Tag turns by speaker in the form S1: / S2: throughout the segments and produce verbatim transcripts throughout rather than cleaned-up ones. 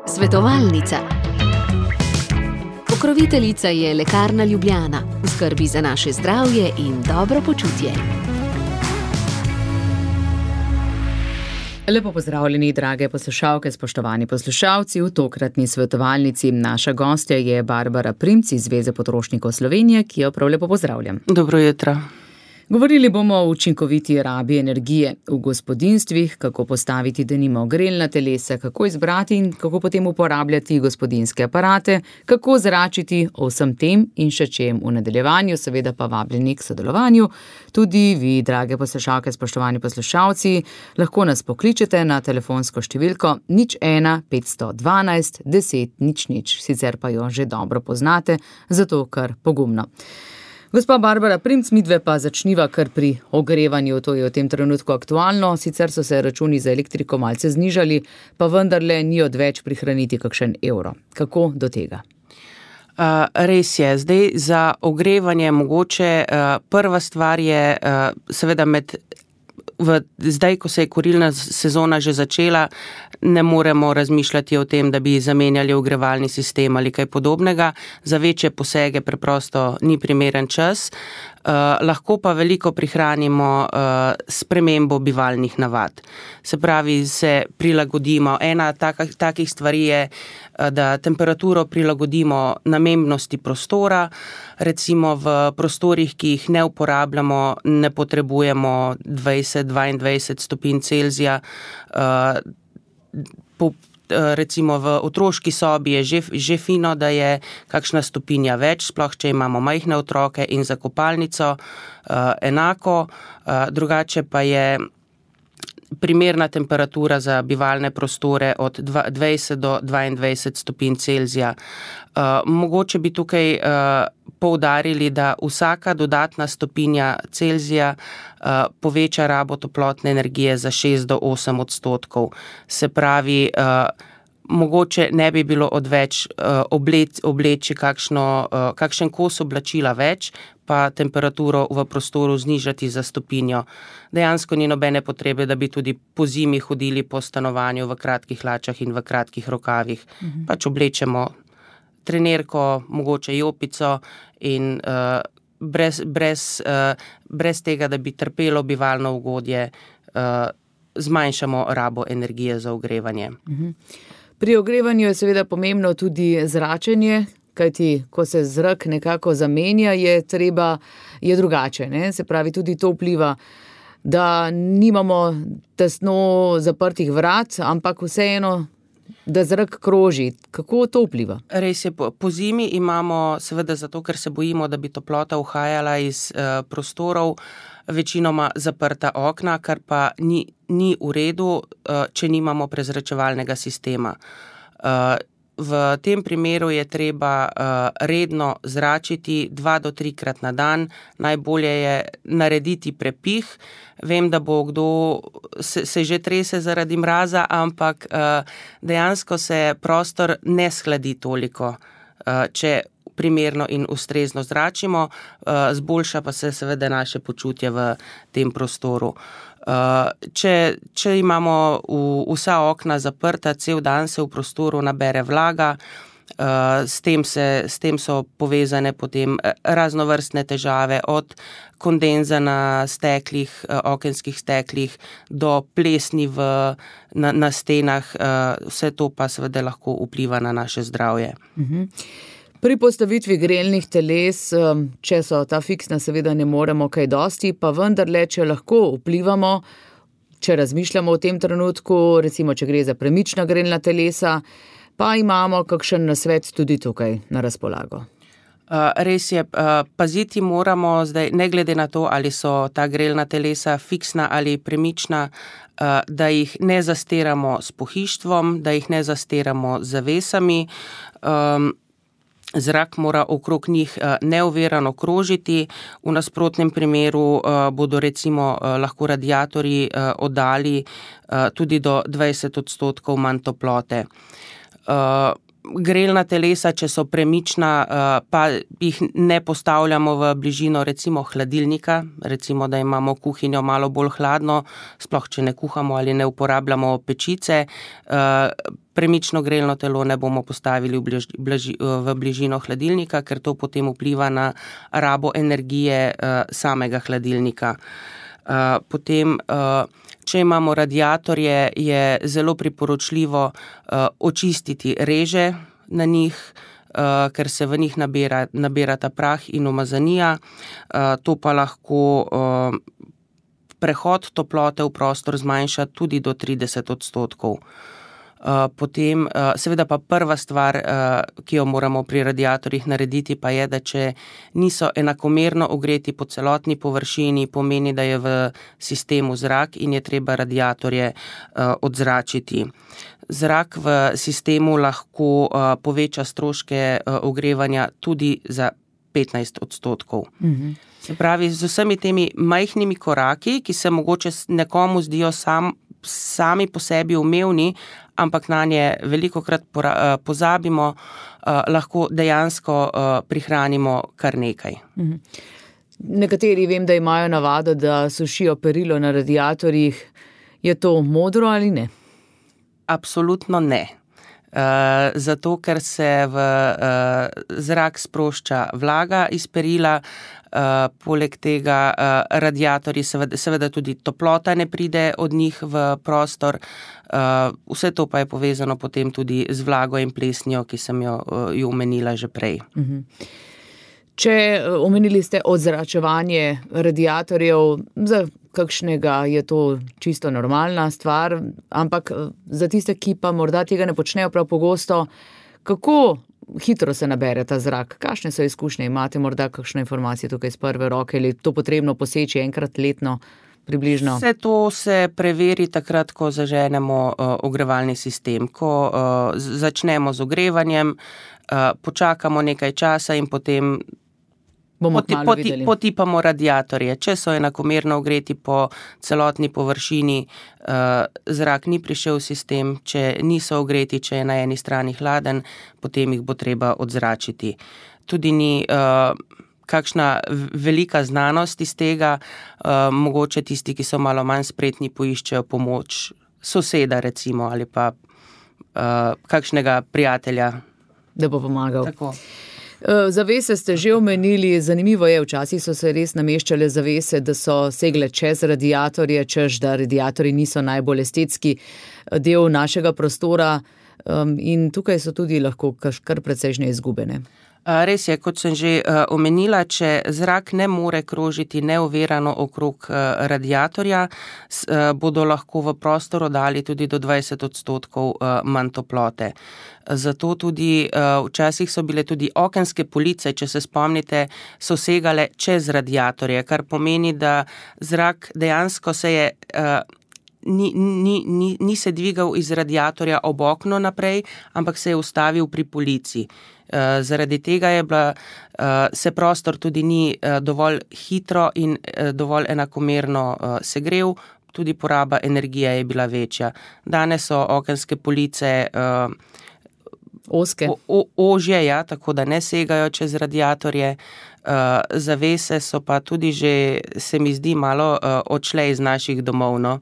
S1: Svetovalnica. Pokroviteljica je Lekarna Ljubljana, v skrbi za naše zdravje in dobro počutje.
S2: Lepo pozdravljeni, drage poslušalke, spoštovani poslušalci. V tokratni svetovalnici naša gostja je Barbara Primc iz Zveze potrošnikov Slovenije, ki jo prav lepo pozdravljam.
S3: Dobro jutro.
S2: Govorili bomo o učinkoviti rabi energije v gospodinjstvih, kako postaviti denimo grelna telesa, kako izbrati in kako potem uporabljati gospodinjske aparate, kako zračiti o vsem tem in še čem v nadaljevanju, seveda pa vabljeni k sodelovanju. Tudi vi, drage poslušalke, spoštovani poslušalci, lahko nas pokličete na telefonsko številko nič ena petsto dvanajst deset nič nič, sicer pa jo že dobro poznate, zato kar pogumno. Gospa Barbara Primc, midve pa začniva kar pri ogrevanju, to je v tem trenutku aktualno, sicer so se računi za elektriko malce znižali, pa vendarle ni odveč prihraniti kakšen evro. Kako do tega?
S3: Uh, res je, zdaj za ogrevanje mogoče uh, prva stvar je uh, seveda med V, zdaj, ko se je kurilna sezona že začela, ne moremo razmišljati o tem, da bi zamenjali ogrevalni sistem ali kaj podobnega. Za večje posege preprosto ni primeren čas. Uh, lahko pa veliko prihranimo uh, s spremembo bivalnih navad. Se pravi, se prilagodimo. Ena taka, takih stvari je, uh, da temperaturo prilagodimo namembnosti prostora. Recimo v prostorih, ki jih ne uporabljamo, ne potrebujemo dvajset do dvaindvajset stopinj Celzija. Uh, po Recimo v otroški sobi je že, že fino, da je kakšna stopinja več, sploh če imamo majhne otroke, in za kopalnico uh, enako. Uh, drugače pa je primerna temperatura za bivalne prostore od dvajset do dvaindvajset stopinj Celzija. Uh, mogoče bi tukaj uh, poudarili, da vsaka dodatna stopinja Celzija uh, poveča rabo toplotne energije za šest do osem odstotkov. Se pravi, uh, mogoče ne bi bilo odveč uh, obleč, obleči kakšno, uh, kakšen kos oblačila več, pa temperaturo v prostoru znižati za stopinjo. Dejansko ni nobene potrebe, da bi tudi po zimi hodili po stanovanju v kratkih hlačah in v kratkih rokavih. Mhm. Pač oblečemo trenerko, mogoče jopico in uh, brez, brez, uh, brez tega, da bi trpelo bivalno ugodje, uh, zmanjšamo rabo energije za ogrevanje.
S2: Mhm. Pri ogrevanju je seveda pomembno tudi zračenje, kajti ko se zrak nekako zamenja, je treba, je drugače, ne? Se pravi, tudi to vpliva, da nimamo tesno zaprtih vrat, ampak vseeno, da zrak kroži. Kako to vpliva?
S3: Res je, po, po zimi imamo, seveda zato, ker se bojimo, da bi toplota uhajala iz uh, prostorov, večinoma zaprta okna, kar pa ni, ni v redu, uh, če nimamo prezračevalnega sistema. Uh, v tem primeru je treba uh, redno zračiti dva do trikrat na dan. Najbolje je narediti prepih. Vem, da bo kdo se, se že trese zaradi mraza, ampak uh, dejansko se prostor ne shladi toliko, uh, če primerno in ustrezno zračimo, uh, zboljša pa se seveda naše počutje v tem prostoru. Uh, če, če imamo v, vsa okna zaprta, cel dan se v prostoru nabere vlaga, uh, s tem se, s tem so povezane potem raznovrstne težave, od kondenza na steklih, uh, okenskih steklih, do plesni v, na, na stenah, uh, vse to pa seveda lahko vpliva na naše zdravje.
S2: Mhm. Pri postavitvi grelnih teles, če so ta fiksna, seveda ne moremo kaj dosti, pa vendarle, če lahko vplivamo, če razmišljamo v tem trenutku, recimo, če gre za premična grelna telesa, pa imamo kakšen nasvet tudi tukaj na razpolago.
S3: Uh, res je, uh, paziti moramo zdaj, ne glede na to, ali so ta grelna telesa fiksna ali premična, uh, da jih ne zastiramo s pohištvom, da jih ne zastiramo z zavesami. Um, Zrak mora okrog njih neovirano krožiti, v nasprotnem primeru bodo recimo lahko radiatorji oddali tudi do dvajset odstotkov manj toplote. grelna telesa, če so premična, pa jih ne postavljamo v bližino recimo hladilnika, recimo, da imamo kuhinjo malo bolj hladno, sploh če ne kuhamo ali ne uporabljamo pečice, premično grelno telo ne bomo postavili v, bliž, bliž, v bližino hladilnika, ker to potem vpliva na rabo energije samega hladilnika. Potem, če imamo radiatorje, je zelo priporočljivo očistiti reže na njih, ker se v njih nabira, nabirata prah in umazanija. To pa lahko prehod toplote v prostor zmanjša tudi do trideset odstotkov. Potem, seveda pa prva stvar, ki jo moramo pri radiatorjih narediti, pa je, da če niso enakomerno ogreti po celotni površini, pomeni, da je v sistemu zrak in je treba radiatorje odzračiti. Zrak v sistemu lahko poveča stroške ogrevanja tudi za petnajst odstotkov. Mhm. Se pravi, z vsemi temi majhnimi koraki, ki se mogoče nekomu zdijo sam, sami po sebi umevni, ampak na nje velikokrat pozabimo, lahko dejansko prihranimo kar nekaj.
S2: Nekateri vem, da imajo navado, da sušijo perilo na radiatorjih. Je to modro ali ne?
S3: Absolutno ne. Zato, ker se v zrak sprošča vlaga iz perila, poleg tega radiatorji, seveda, seveda tudi toplota ne pride od njih v prostor, vse to pa je povezano potem tudi z vlago in plesnjo, ki sem jo, jo omenila že prej.
S2: Če omenili ste odzračevanje radiatorjev, za kakšnega je to čisto normalna stvar, ampak za tiste, ki pa morda tega ne počnejo prav pogosto, kako hitro se nabere ta zrak? Kakšne so izkušnje? Imate morda kakšne informacije tukaj iz prve roke, ali je to potrebno poseči enkrat letno približno?
S3: Vse to se preveri takrat, ko zaženemo uh, ogrevalni sistem. Ko uh, začnemo z ogrevanjem, uh, počakamo nekaj časa in potem Poti, poti, potipamo radiatorje. Če so enakomerno ogreti po celotni površini, uh, zrak ni prišel v sistem, če niso ogreti, če je na eni strani hladen, potem jih bo treba odzračiti. Tudi ni uh, kakšna velika znanost iz tega, uh, mogoče tisti, ki so malo manj spretni, poiščejo pomoč soseda recimo ali pa uh, kakšnega prijatelja.
S2: Da bo pomagal.
S3: Tako.
S2: Zavese ste že omenili, zanimivo je, včasih so se res nameščale zavese, da so segle čez radiatorje, češ da radiatorji niso najbolj estetski del našega prostora in tukaj so tudi lahko kar precejšnje izgubene.
S3: Res je, kot sem že omenila, če zrak ne more krožiti neovirano okrog radiatorja, bodo lahko v prostor dali tudi do dvajset odstotkov manj toplote. Zato tudi včasih so bile tudi okenske police, če se spomnite, so segale čez radiatorje, kar pomeni, da zrak dejansko se je Ni, ni, ni, ni se dvigal iz radiatorja ob okno naprej, ampak se je ustavil pri polici. Uh, zaradi tega je bila, uh, se prostor tudi ni uh, dovolj hitro in uh, dovolj enakomerno uh, segrev, tudi poraba energije je bila večja. Danes so okenske police uh,
S2: oske,
S3: o, o, ožje, ja, tako da ne segajo čez radiatorje. Uh, zavese so pa tudi že, se mi zdi, malo uh, odšle iz naših domov. No?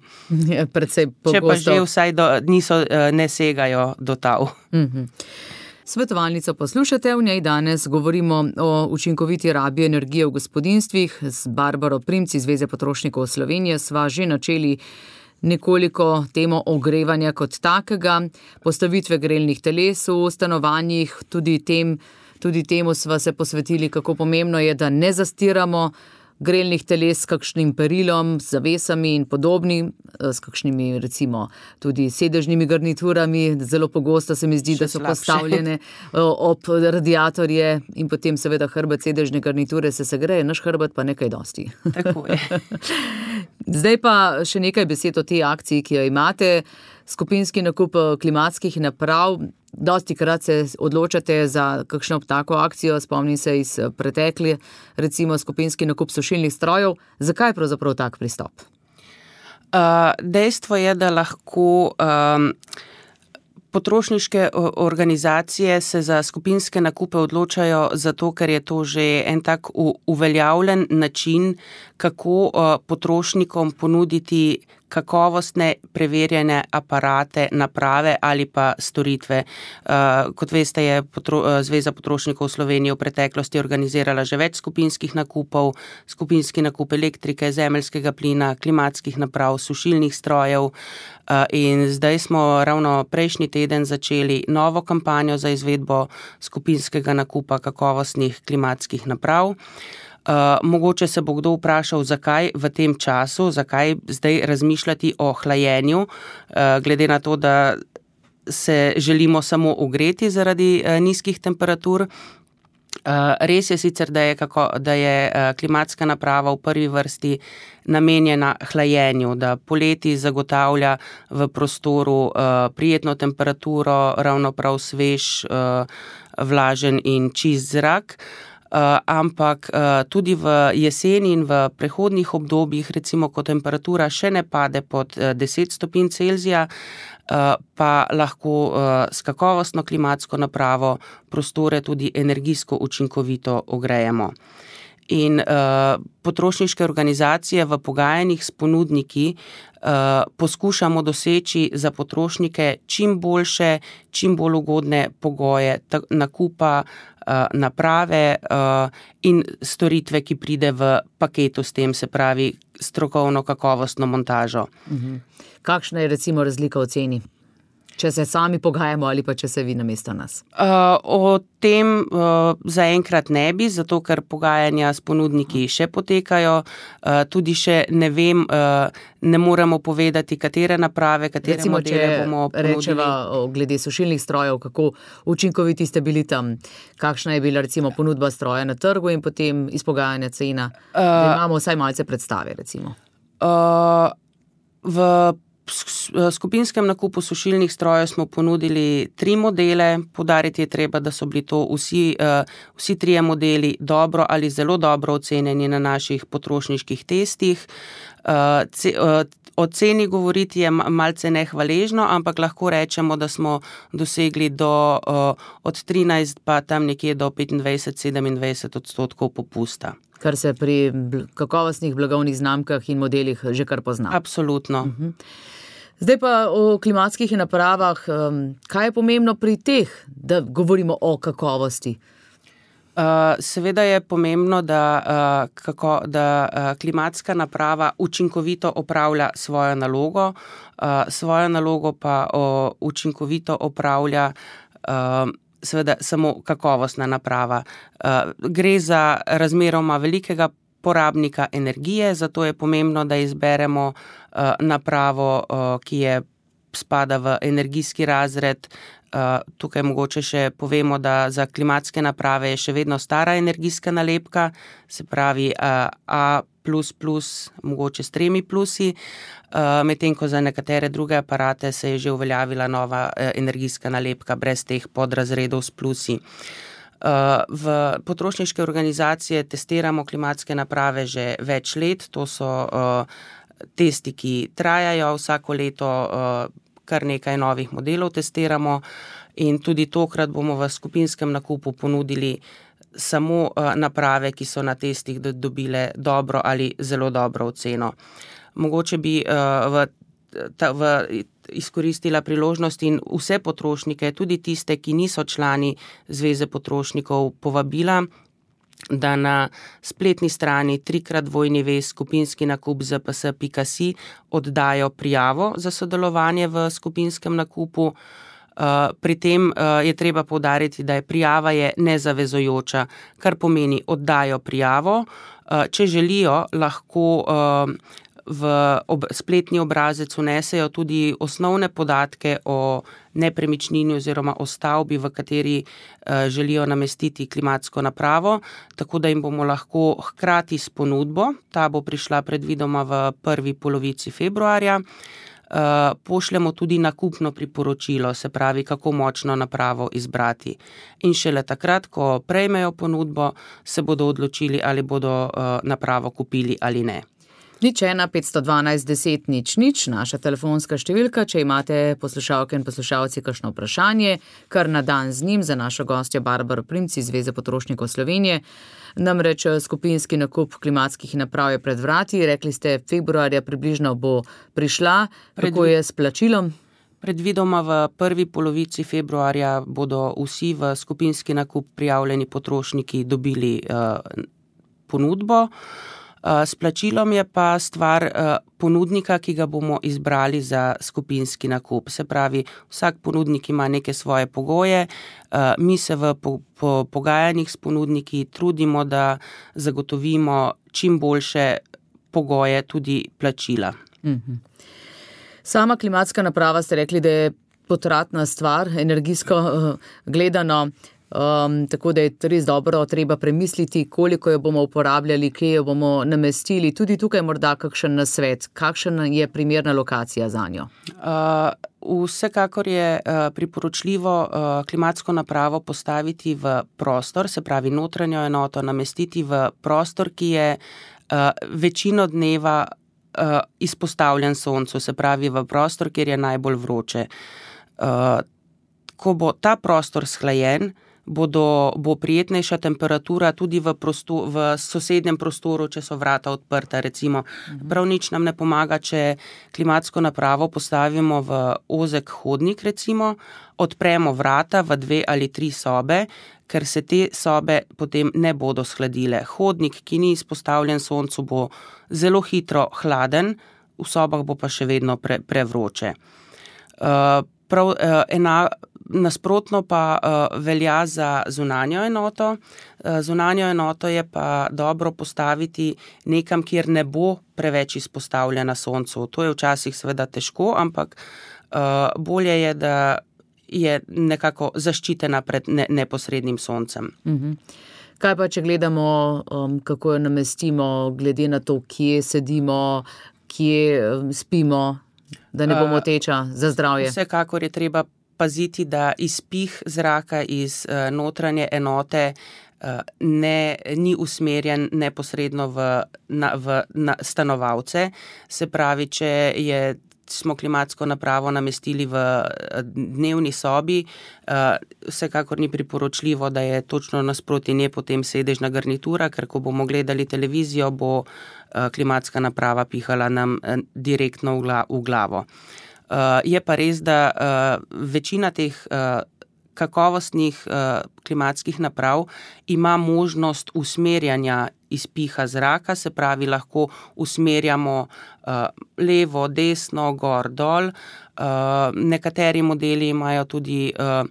S2: Ja, predvsej pogosto.
S3: Če pa že vsaj do, niso, uh, ne segajo do tav.
S2: Mhm. Svetovalnico poslušate, v njej danes govorimo o učinkoviti rabi energije v gospodinjstvih. Z Barbaro Primc iz Zveze potrošnikov Slovenije sva že načeli nekoliko temo ogrevanja kot takega, postavitve grelnih teles v stanovanjih, tudi tem Tudi temu sva se posvetili, kako pomembno je, da ne zastiramo grelnih teles s kakšnim perilom, z zavesami in podobnim, s kakšnimi recimo tudi sedežnimi garniturami. Zelo pogosto se mi zdi, Še da so slabše. Postavljene ob radiatorje in potem seveda hrbet sedežne garniture se segreje, naš hrbet pa nekaj dosti.
S3: Tako je.
S2: Zdaj pa še nekaj besed o tej akciji, ki jo imate. Skupinski nakup klimatskih naprav. Dosti krat se odločate za kakšno tako akcijo, spomnim se iz pretekle, recimo skupinski nakup sušilnih strojev. Zakaj je pravzaprav tak pristop?
S3: Uh, dejstvo je, da lahko um, Potrošniške organizacije se za skupinske nakupe odločajo zato, ker je to že en tak uveljavljen način, kako potrošnikom ponuditi kakovostne preverjene aparate, naprave ali pa storitve. Kot veste, je Zveza potrošnikov Slovenije v preteklosti organizirala že več skupinskih nakupov, skupinski nakup elektrike, zemeljskega plina, klimatskih naprav, sušilnih strojev, in zdaj smo ravno prejšnji teden začeli novo kampanjo za izvedbo skupinskega nakupa kakovostnih klimatskih naprav. Uh, mogoče se bo kdo vprašal, zakaj v tem času, zakaj zdaj razmišljati o hlajenju, uh, glede na to, da se želimo samo ogreti zaradi uh, nizkih temperatur. Uh, res je sicer, da je, kako, da je uh, klimatska naprava v prvi vrsti namenjena hlajenju, da poleti zagotavlja v prostoru uh, prijetno temperaturo, ravno prav svež, uh, vlažen in čist zrak. Uh, ampak uh, tudi v jeseni in v prehodnih obdobjih, recimo, ko temperatura še ne pade pod uh, deset stopinj Celzija, uh, pa lahko uh, s kakovostno klimatsko napravo prostore tudi energijsko učinkovito ogrejemo. In uh, potrošniške organizacije v pogajanjih s ponudniki uh, poskušamo doseči za potrošnike čim boljše, čim bolj ugodne pogoje ta, nakupa uh, naprave uh, in storitve, ki pride v paketu s tem, se pravi strokovno kakovostno montažo.
S2: Mhm. Kakšna je recimo razlika v ceni? Če se sami pogajamo ali pa če se vi namesto nas?
S3: Uh, o tem uh, zaenkrat ne bi, zato ker pogajanja s ponudniki še potekajo. Uh, tudi še ne vem, uh, ne moremo povedati, katere naprave, katere
S2: recimo,
S3: modele bomo ponudili.
S2: Rečeva glede sušilnih strojev, kako učinkoviti ste bili tam? Kakšna je bila recimo ponudba stroja na trgu in potem izpogajanja cena? Uh, da imamo vsaj malce predstave, recimo.
S3: Uh, v skupinskem nakupu sušilnih strojev smo ponudili tri modele. Poudariti je treba, da so bili to vsi, vsi trije modeli dobro ali zelo dobro ocenjeni na naših potrošniških testih. O ceni govoriti je malce nehvaležno, ampak lahko rečemo, da smo dosegli do, od trinajst pa tam nekje do petindvajset sedemindvajset odstotkov popusta.
S2: Kar se pri kakovostnih blagovnih znamkah in modelih že kar pozna.
S3: Absolutno.
S2: Uh-huh. Zdaj pa o klimatskih napravah. Kaj je pomembno pri teh, da govorimo o kakovosti?
S3: Uh, seveda je pomembno, da, uh, kako, da uh, klimatska naprava učinkovito opravlja svojo nalogo, uh, svojo nalogo pa uh, učinkovito opravlja uh, seveda samo kakovostna naprava. Uh, gre za razmeroma velikega porabnika energije, zato je pomembno, da izberemo uh, napravo, uh, ki je spada v energijski razred. Uh, tukaj mogoče še povemo, da za klimatske naprave je še vedno stara energijska nalepka, se pravi uh, A plus plus, mogoče s tremi plusi, uh, medtem ko za nekatere druge aparate se je že uveljavila nova uh, energijska nalepka brez teh podrazredov s plusi. Uh, v potrošniške organizacije testiramo klimatske naprave že več let, to so uh, testi, ki trajajo vsako leto, uh, kar nekaj novih modelov testiramo in tudi tokrat bomo v skupinskem nakupu ponudili samo uh, naprave, ki so na testih dobile dobro ali zelo dobro oceno. Mogoče bi uh, v, ta, v izkoristila priložnost in vse potrošnike, tudi tiste, ki niso člani Zveze potrošnikov, povabila, da na spletni strani trikrat dvojni vez skupinski nakup z p s pika si oddajo prijavo za sodelovanje v skupinskem nakupu. Pri tem je treba poudariti, da je prijava je nezavezujoča, kar pomeni oddajo prijavo. Če želijo, lahko v ob, spletni obrazec vnesejo tudi osnovne podatke o nepremičnini oziroma o stavbi, v kateri uh, želijo namestiti klimatsko napravo, tako da jim bomo lahko hkrati s ponudbo, ta bo prišla predvidoma v prvi polovici februarja, uh, pošljemo tudi nakupno priporočilo, se pravi, kako močno napravo izbrati. In šele takrat, ko prejmejo ponudbo, se bodo odločili, ali bodo uh, napravo kupili ali ne.
S2: Nič ena, petsto dvanajst, deset, nič, nič, naša telefonska številka, če imate poslušalke in poslušalci kakšno vprašanje, kar na dan z njim za našo gostjo Barbaro Primc iz Zveze potrošnikov Slovenije. Namreč skupinski nakup klimatskih naprav je pred vrati, rekli ste, februarja približno bo prišla, kako je s plačilom?
S3: Predvidoma v prvi polovici februarja bodo vsi v skupinski nakup prijavljeni potrošniki dobili uh, ponudbo. Uh, s plačilom je pa stvar uh, ponudnika, ki ga bomo izbrali za skupinski nakup. Se pravi, vsak ponudnik ima neke svoje pogoje, uh, mi se v po, po, pogajanjih s ponudniki trudimo, da zagotovimo čim boljše pogoje tudi plačila.
S2: Mhm. Sama klimatska naprava ste rekli, da je potratna stvar, energijsko uh, gledano, um, tako da je res dobro treba premisliti, koliko jo bomo uporabljali, kje jo bomo namestili. Tudi tukaj morda kakšen nasvet, kakšen je primerna lokacija za njo?
S3: Uh, vsekakor je uh, priporočljivo uh, klimatsko napravo postaviti v prostor, se pravi notranjo enoto namestiti v prostor, ki je uh, večino dneva Uh, izpostavljen soncu, se pravi v prostor, kjer je najbolj vroče. Uh, ko bo ta prostor shlajen, bodo, bo prijetnejša temperatura tudi v, prosto, v sosednjem prostoru, če so vrata odprta, recimo. Mhm. Prav nič nam ne pomaga, če klimatsko napravo postavimo v ozek hodnik, recimo, odpremo vrata v dve ali tri sobe, ker se te sobe potem ne bodo shladile. Hodnik, ki ni izpostavljen soncu, bo zelo hitro hladen, v sobah bo pa še vedno pre, prevroče. Uh, prav, uh, ena, nasprotno pa uh, velja za zunanjo enoto. Uh, zunanjo enoto je pa dobro postaviti nekam, kjer ne bo preveč izpostavljena soncu. To je včasih seveda težko, ampak uh, bolje je, da je nekako zaščitena pred ne, neposrednim soncem.
S2: Mhm. Kaj pa, če gledamo, um, kako jo namestimo, glede na to, kje sedimo, kje um, spimo, da ne bomo teča za zdravje?
S3: Vsekakor je treba paziti, da izpih zraka iz uh, notranje enote uh, ne, ni usmerjen neposredno v, na, v na stanovalce. Se pravi, če je smo klimatsko napravo namestili v dnevni sobi, vsekakor ni priporočljivo, da je točno nasproti nje potem sedežna garnitura, ker ko bomo gledali televizijo, bo klimatska naprava pihala nam direktno v glavo. Je pa res, da večina teh kakovostnih uh, klimatskih naprav ima možnost usmerjanja izpiha zraka, se pravi, lahko usmerjamo uh, levo, desno, gor, dol. Uh, nekateri modeli imajo tudi uh,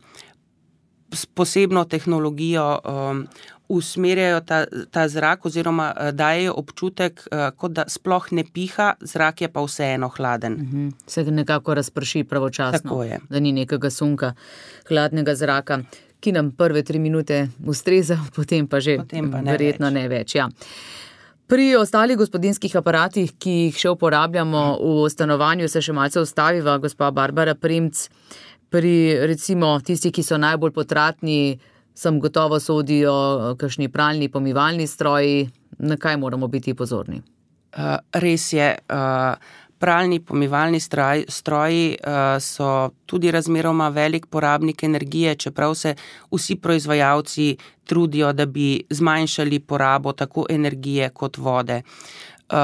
S3: posebno tehnologijo, um, usmerjajo ta, ta zrak oziroma uh, dajejo občutek, uh, kot da sploh ne piha, zrak je pa vseeno hladen.
S2: Uh-huh. Se nekako razprši pravočasno,
S3: tako je,
S2: da ni nekega sunka hladnega zraka, ki nam prve tri minute ustreza, potem pa že
S3: potem pa ne
S2: verjetno
S3: več.
S2: ne več. Ja. Pri ostalih gospodinjskih aparatih, ki jih še uporabljamo v stanovanju, se še malce ustaviva, gospa Barbara Primc. Pri recimo tisti, ki so najbolj potratni, sem gotovo sodijo kakšni pralni, pomivalni stroji. Na kaj moramo biti pozorni?
S3: Uh, res je, uh, pralni, pomivalni stroj, stroji uh, so tudi razmeroma velik porabnik energije, čeprav se vsi proizvajalci trudijo, da bi zmanjšali porabo tako energije kot vode. Uh,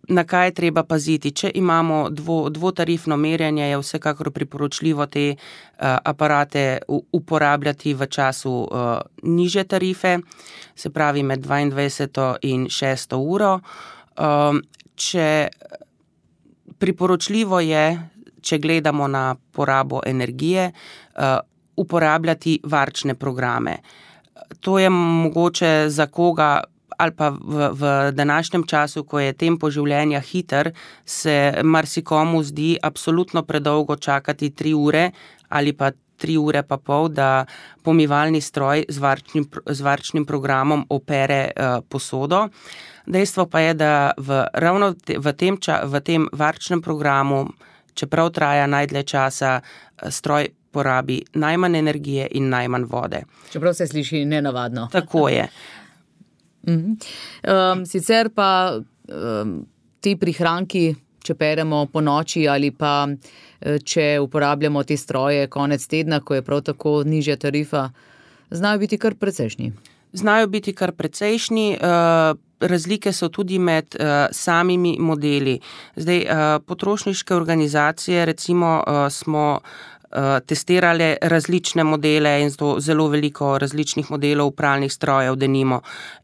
S3: na kaj je treba paziti? Če imamo dvo, dvotarifno merjenje, je vsekakor priporočljivo te uh, aparate u, uporabljati v času uh, nižje tarife, se pravi med dvaindvajseto in šesto uro. Um, če priporočljivo je, če gledamo na porabo energije, uh, uporabljati varčne programe. To je mogoče za koga ali pa v, v današnjem času, ko je tempo življenja hiter, se marsikomu zdi absolutno predolgo čakati tri ure ali pa tri ure pa pol, da pomivalni stroj z varčnim, z varčnim programom opere uh, posodo. Dejstvo pa je, da v, ravno te, v, tem ča, v tem varčnem programu, čeprav traja najdlje časa, stroj porabi najmanj energije in najmanj vode.
S2: Čeprav se sliši nenavadno.
S3: Tako je.
S2: Um, sicer pa um, ti prihranki, če peremo po noči ali pa če uporabljamo te stroje konec tedna, ko je prav tako nižja tarifa, znajo biti kar precejšnji.
S3: Znajo biti kar precejšnji. Razlike so tudi med samimi modeli. Zdaj, potrošniške organizacije, recimo, smo testirali različne modele in zelo veliko različnih modelov pralnih strojev, denimo.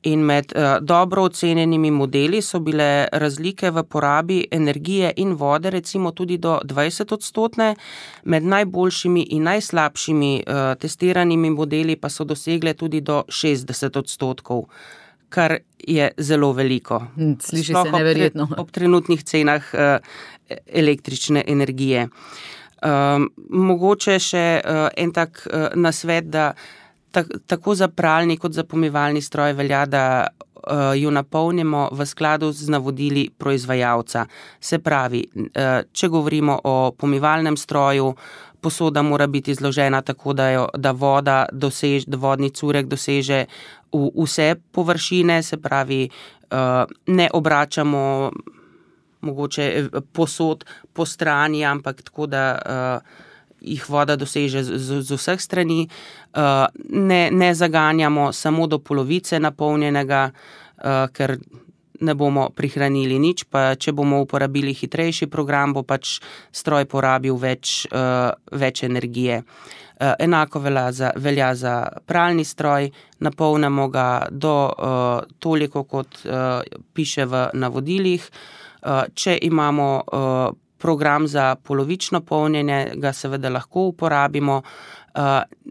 S3: In med dobro ocenjenimi modeli so bile razlike v porabi energije in vode recimo tudi do dvajset odstotne, med najboljšimi in najslabšimi testiranimi modeli pa so dosegle tudi do šestdeset odstotkov, kar je zelo veliko.
S2: Sliši se neverjetno.
S3: Ob, ob trenutnih cenah električne energije. Um, mogoče še uh, en tak uh, nasvet, da tak, tako za pralni kot za pomivalni stroj velja, da uh, jo napolnimo v skladu z navodili proizvajalca. Se pravi, uh, če govorimo o pomivalnem stroju, posoda mora biti zložena tako, da, jo, da voda doseže, da vodni curek doseže v vse površine, se pravi, uh, ne obračamo mogoče posod po strani, ampak tako, da uh, jih voda doseže z, z, z vseh strani. Uh, ne, ne zaganjamo samo do polovice napolnjenega, uh, ker ne bomo prihranili nič, pa če bomo uporabili hitrejši program, bo pač stroj porabil več, uh, več energije. Uh, enako velja za, velja za pralni stroj, napolnimo ga do uh, toliko, kot uh, piše v navodilih. Če imamo program za polovično polnjenje, ga seveda lahko uporabimo,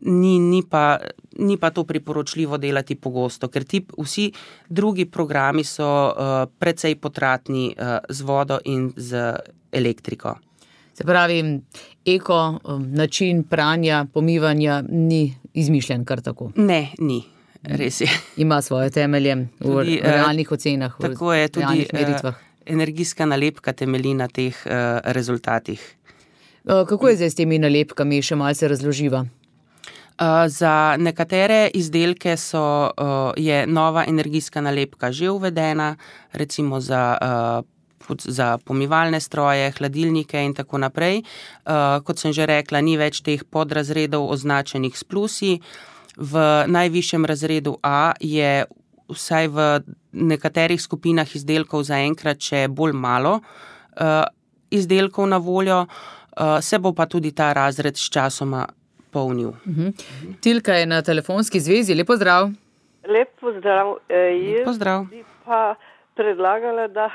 S3: ni, ni, pa, ni pa to priporočljivo delati pogosto, ker ti vsi drugi programi so precej potratni z vodo in z elektriko.
S2: Se pravi, eko način pranja, pomivanja ni izmišljen kar tako?
S3: Ne, ni. Res je.
S2: Ima svoje temelje v tudi, realnih ocenah,
S3: tako je,
S2: v realnih meritvah.
S3: Energijska nalepka temelji na teh uh, rezultatih.
S2: Kako je zdaj s temi nalepkami? Še malce razloživa.
S3: Uh, za nekatere izdelke so, uh, je nova energijska nalepka že uvedena, recimo za, uh, za pomivalne stroje, hladilnike in tako naprej. Uh, kot sem že rekla, ni več teh podrazredov označenih s plusi. V najvišjem razredu A je vsaj v nekaterih skupinah izdelkov zaenkrat še bolj malo uh, izdelkov na voljo, uh, se bo pa tudi ta razred s časoma polnil.
S2: Uh-huh. Tilka je na telefonski zvezi. Lep pozdrav.
S4: Lep pozdrav. E,
S3: Lep pozdrav.
S4: Jaz bi pa predlagala, da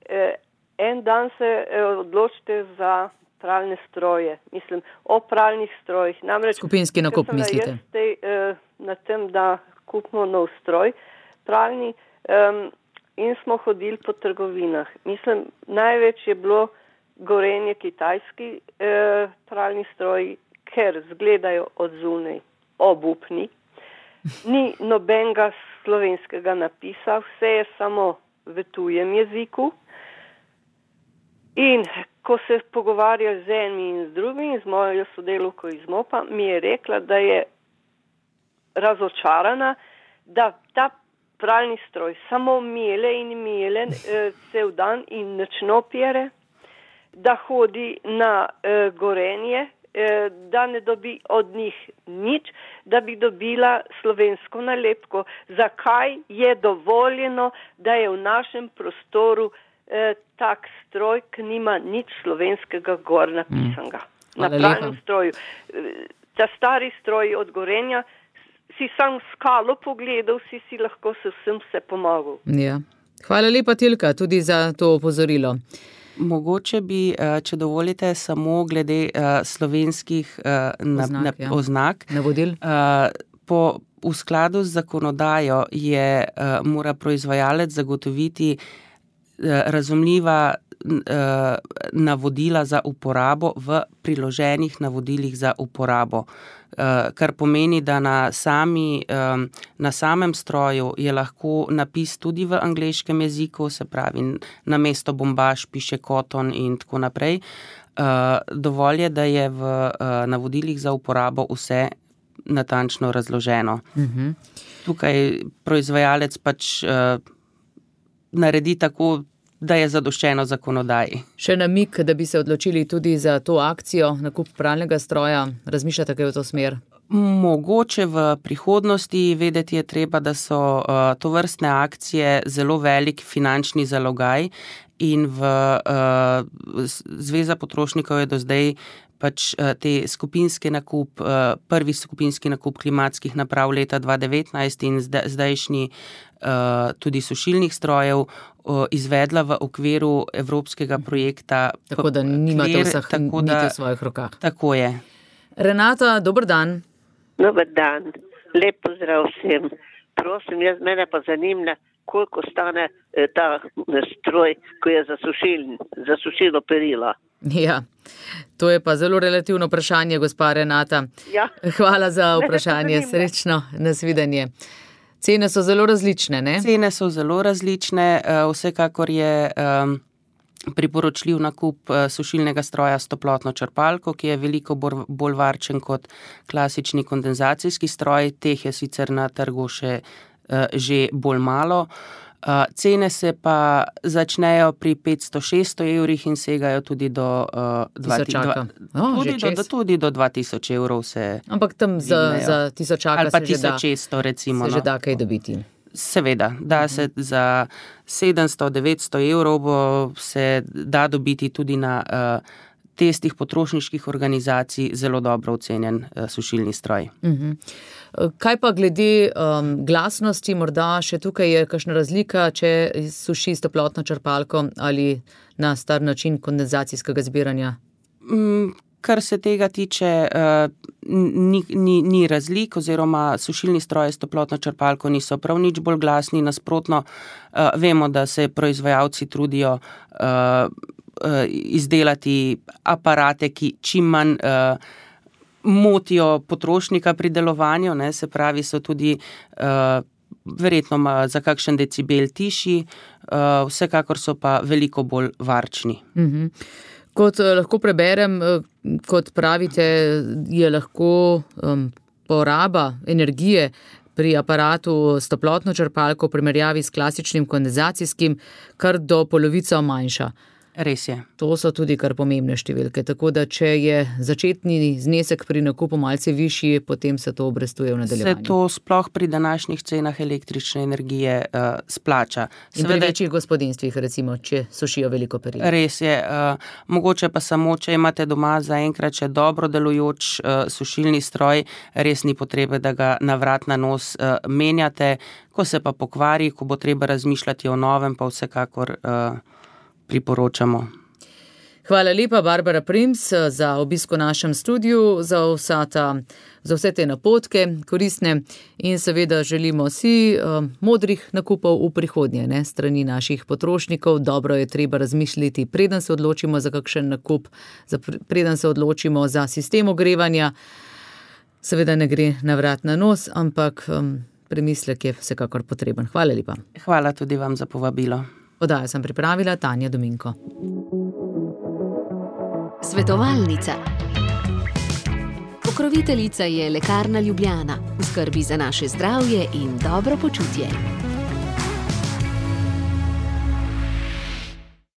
S4: e, en dan se e, odločite za pralne stroje. Mislim, o pralnih strojih. Namreč,
S2: skupinski nakup, mislite?
S4: Jaz tej, e, na tem, da kupimo nov stroj, pralni, um, in smo hodili po trgovinah. Mislim, največ je bilo Gorenje kitajski eh, pralni stroji, ker zgledajo od zunaj obupni. Ni nobenega slovenskega napisa, vse je samo v tujem jeziku. In ko se pogovarja z enim in z drugim, z mojo sodelavko iz MOP-a, mi je rekla, da je razočarana, da ta pralni stroj samo mele in mele eh, cel dan in nočno pere, da hodi na eh, Gorenje, eh, da ne dobi od njih nič, da bi dobila slovensko nalepko. Zakaj je dovoljeno, da je v našem prostoru eh, tak stroj, ki nima nič slovenskega gor napisanega? Mm. Na pralnem stroju. Ta stari stroj od Gorenja, si sam skalo pogledal, si si lahko se vsem vse pomagal.
S2: Ja. Hvala lepa, Tilka, tudi za to opozorilo.
S3: Mogoče bi, če dovolite, samo glede slovenskih
S2: oznak,
S3: na,
S2: ja.
S3: oznak.
S2: Navodil.
S3: Po, v skladu z zakonodajo je, mora proizvajalec zagotoviti razumljiva navodila za uporabo v priloženih navodilih za uporabo. Kar pomeni, da na, sami, na samem stroju je lahko napis tudi v angleškem jeziku, se pravi, na mesto bombaž piše cotton in tako naprej. Dovolj je, da je v navodilih za uporabo vse natančno razloženo. Uh-huh. Tukaj proizvajalec pač naredi tako, da je zadoščeno zakonodaji.
S2: Še namik, da bi se odločili tudi za to akcijo, nakup pralnega stroja, razmišljate kaj v to smer?
S3: Mogoče v prihodnosti. Vedeti je treba, da so uh, tovrstne akcije zelo velik finančni zalogaj in v uh, Zveza potrošnikov je do zdaj pač uh, te skupinski nakup, uh, prvi skupinski nakup klimatskih naprav leta dva devetnajst in zda, zdajšnji uh, tudi sušilnih strojev uh, izvedla v okviru evropskega projekta.
S2: Tako da nimate vseh niti v svojih rokah.
S3: Tako je.
S2: Renata, dober dan.
S5: Dober dan, lep pozdrav vsem. Prosim, jaz mene pa zanima, koliko stane eh, ta stroj, ko je za, sušil, za sušilo perila.
S2: Ja, to je pa zelo relativno vprašanje, gospa Renata.
S5: Ja.
S2: Hvala za vprašanje, srečno, nasvidenje. Cene so zelo različne, ne?
S3: Cene so zelo različne, vsekakor je um, priporočljiv nakup sušilnega stroja s toplotno črpalko, ki je veliko bolj varčen kot klasični kondenzacijski stroj. Teh je sicer na trgu še uh, že bolj malo. Uh, cene se pa začnejo pri petsto šeststo evrih in segajo tudi do, uh, dva, dva,
S2: oh,
S3: tudi, do, tudi do dva tisoč evrov. Se
S2: Ampak tam za, za tisočaka
S3: ali pa
S2: se,
S3: tisoč šeststo,
S2: že, da,
S3: recimo,
S2: se
S3: no.
S2: že da kaj dobiti.
S3: Seveda, da se za sedemsto devetsto evrov bo se da dobiti tudi na uh, testih potrošniških organizacij zelo dobro ocenjen uh, sušilni stroj.
S2: Uh-huh. Kaj pa glede um, glasnosti, morda še tukaj je kakšna razlika, če suši s toplotno črpalko ali na star način kondenzacijskega zbiranja?
S3: Mm, Kar se tega tiče, ni, ni, ni razlik, oziroma sušilni stroji s toplotno črpalko niso prav nič bolj glasni, nasprotno vemo, da se proizvajalci trudijo izdelati aparate, ki čim manj motijo potrošnika pri delovanju, ne, se pravi, so tudi verjetno za kakšen decibel tišji, vsekakor so pa veliko bolj varčni.
S2: Mhm. Kot lahko preberem, kot pravite, je lahko um, poraba energije pri aparatu s toplotno črpalko v primerjavi s klasičnim kondenzacijskim kar do polovico manjša.
S3: Res je.
S2: To so tudi kar pomembne številke, tako da če je začetni znesek pri nakupu malce višji, potem se to obrestuje v nadaljevanju.
S3: Se to sploh pri današnjih cenah električne energije uh, splača.
S2: In pri večjih gospodinstvih, recimo, če sušijo veliko peril.
S3: Res je. Uh, mogoče pa samo, če imate doma zaenkrat še dobro delujoč uh, sušilni stroj, res ni potrebe, da ga na vrat na nos uh, menjate. Ko se pa pokvari, ko bo treba razmišljati o novem, pa vsekakor uh, priporočamo.
S2: Hvala lepa, Barbara Prims, za obisk v našem studiu, za, vsa ta, za vse te napotke, koristne in seveda želimo si uh, modrih nakupov v prihodnje, ne, strani naših potrošnikov. Dobro je treba razmišljati, preden se odločimo za kakšen nakup, za, preden se odločimo za sistem ogrevanja. Seveda ne gre na vrat na nos, ampak um, premislek je vsekakor potreben. Hvala lepa.
S3: Hvala tudi vam za povabilo.
S2: Oddajo sem pripravila Tanja Dominko.
S1: Svetovalnica. Pokroviteljica je Lekarna Ljubljana. V skrbi za naše zdravje in dobro počutje.